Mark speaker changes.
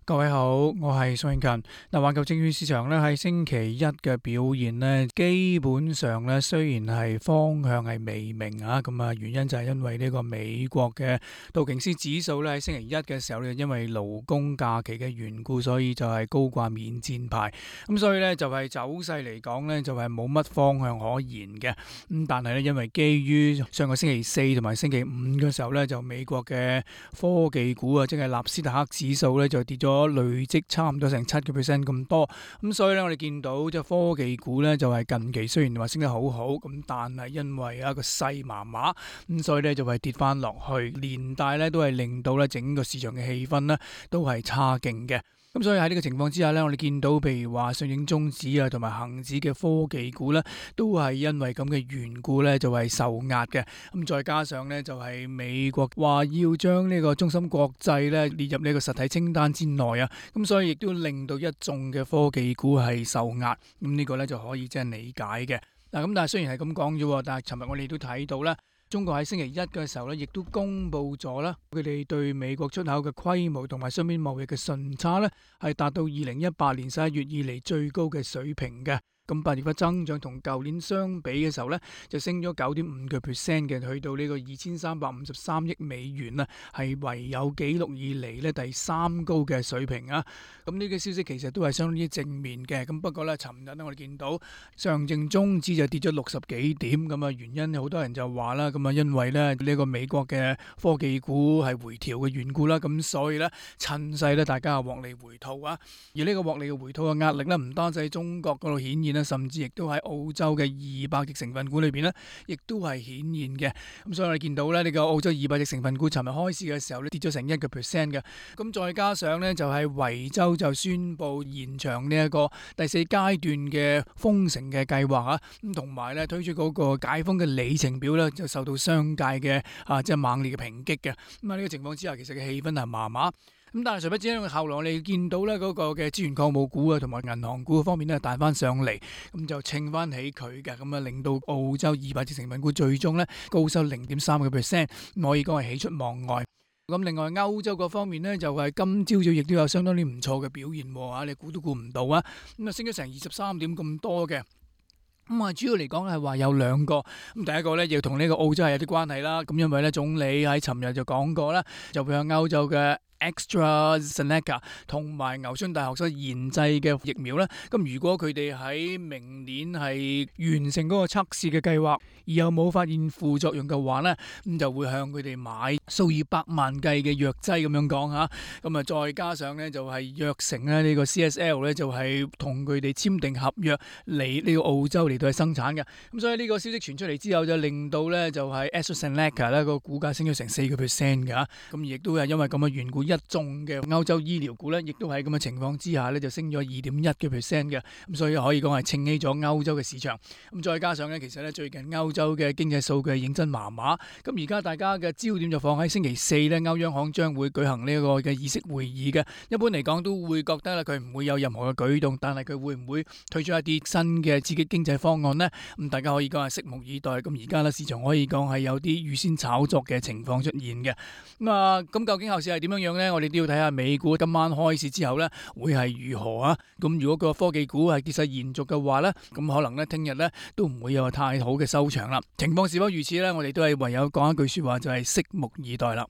Speaker 1: 各位好，我係宋慶勤。環球證券市場咧喺星期一嘅表現咧，基本上咧雖然係方向係未明啊，咁啊原因就係因為呢個美國嘅道瓊斯指數咧喺星期一嘅時候咧，因為勞工假期嘅緣故，所以就係高掛免戰牌。咁所以咧就係走勢嚟講咧，就係冇乜方向可言嘅。咁但係咧，因為基於上個星期四同埋星期五嘅時候咧，就美國嘅科技股啊，即係納斯達克指數咧就跌咗累積差唔多成7%咁多，咁所以咧我哋見到即係科技股咧就係近期雖然話升得好好，咁但係因為一個勢麻麻，咁所以咧就係跌翻落去，連帶咧都係令到咧整個市場嘅氣氛咧都係差勁嘅。咁所以喺呢個情況之下咧，我哋見到譬如話上證綜指啊同埋恒指嘅科技股咧，都係因為咁嘅緣故咧就係受壓嘅。咁再加上咧就係美國話要將呢個中芯國際咧列入呢個實體清單之內啊，咁所以亦都令到一眾嘅科技股係受壓。咁呢個咧就可以即係理解嘅。嗱，咁但係雖然係咁講啫，但係尋日我哋都睇到啦。中國喺星期一嘅時候咧，亦都公布咗啦，佢哋對美國出口嘅規模同埋雙邊貿易嘅順差咧，係達到2018年11月以嚟最高嘅水平嘅。咁8月份增長同舊年相比嘅時候咧，就升咗9.5%嘅，去到呢個2353億美元啊，係唯有紀錄以嚟咧第三高嘅水平啊。咁呢個消息其實都係相當之正面嘅。咁不過咧，尋日咧我哋見到上證綜指就跌咗60幾點，咁啊原因好多人就話啦，咁啊因為咧呢個美國嘅科技股係回調嘅緣故啦，咁所以咧趁勢咧大家獲利回吐啊。而呢個獲利嘅回吐嘅壓力咧，唔單止喺中國嗰度顯現，甚至亦都喺澳洲嘅200隻成分股裏邊咧，亦都係顯現嘅。咁所以我哋見到咧，呢個澳洲200隻成分股尋日開市嘅時候咧，跌咗成1%嘅。咁再加上咧，就係維州就宣布延長呢一個第4階段嘅封城嘅計劃啊，咁同埋咧推出嗰個解封嘅里程表咧，就受到商界嘅即係猛烈嘅抨擊嘅。咁喺呢個情況之下，其實嘅氣氛係麻麻。咁但係誰不知咧，後來我哋見到咧嗰個嘅資源礦務股啊，同埋銀行股方面咧彈翻上嚟，咁就稱翻起佢嘅，咁啊令到澳洲200隻成分股最終咧高收0.3%，可以講係喜出望外。咁另外歐洲嗰方面咧，就係今朝早亦都有相當之唔錯嘅表現喎，你估都估唔到啊！咁啊升咗成23點咁多嘅。咁啊，主要嚟講係話有兩個，咁第一個咧要同呢個澳洲係有啲關係啦。咁因為咧總理喺尋日就講過啦，就會向歐洲嘅AstraZeneca 同埋牛津大學所研製嘅疫苗咧，咁如果佢哋喺明年係完成嗰個測試嘅計劃，而又冇發現副作用嘅話咧，咁就會向佢哋買數以百萬計嘅藥劑咁樣講嚇。咁啊，再加上咧就係藥城咧呢個 CSL 咧就係同佢哋簽訂合約嚟呢個澳洲嚟到去生產嘅。咁所以呢個消息傳出嚟之後，就令到咧就係 AstraZeneca 咧個股價升咗成4%㗎。咁亦都係因為咁嘅緣故。一眾嘅歐洲醫療股咧，亦都喺咁嘅情況之下咧，就升咗2.1%嘅，咁所以可以講係撐起咗歐洲嘅市場。咁再加上咧，其實咧最近歐洲嘅經濟數據認真麻麻，咁而家大家嘅焦點就放喺星期四咧，歐央行將會舉行呢個嘅議息會議嘅。一般嚟講都會覺得咧，佢唔會有任何嘅舉動，但係佢會唔會推出一啲新嘅刺激經濟方案呢？咁大家可以講係拭目以待。咁而家咧市場可以講係有啲預先炒作嘅情況出現嘅。咁究竟後市係點樣樣？我哋都要睇下美股今晚開市之後咧，會係如何啊？咁如果個科技股係跌勢延續嘅話咧，咁可能咧聽日咧都唔會有太好嘅收場啦。情況是否如此咧？我哋都係唯有講一句說話，就係拭目以待啦。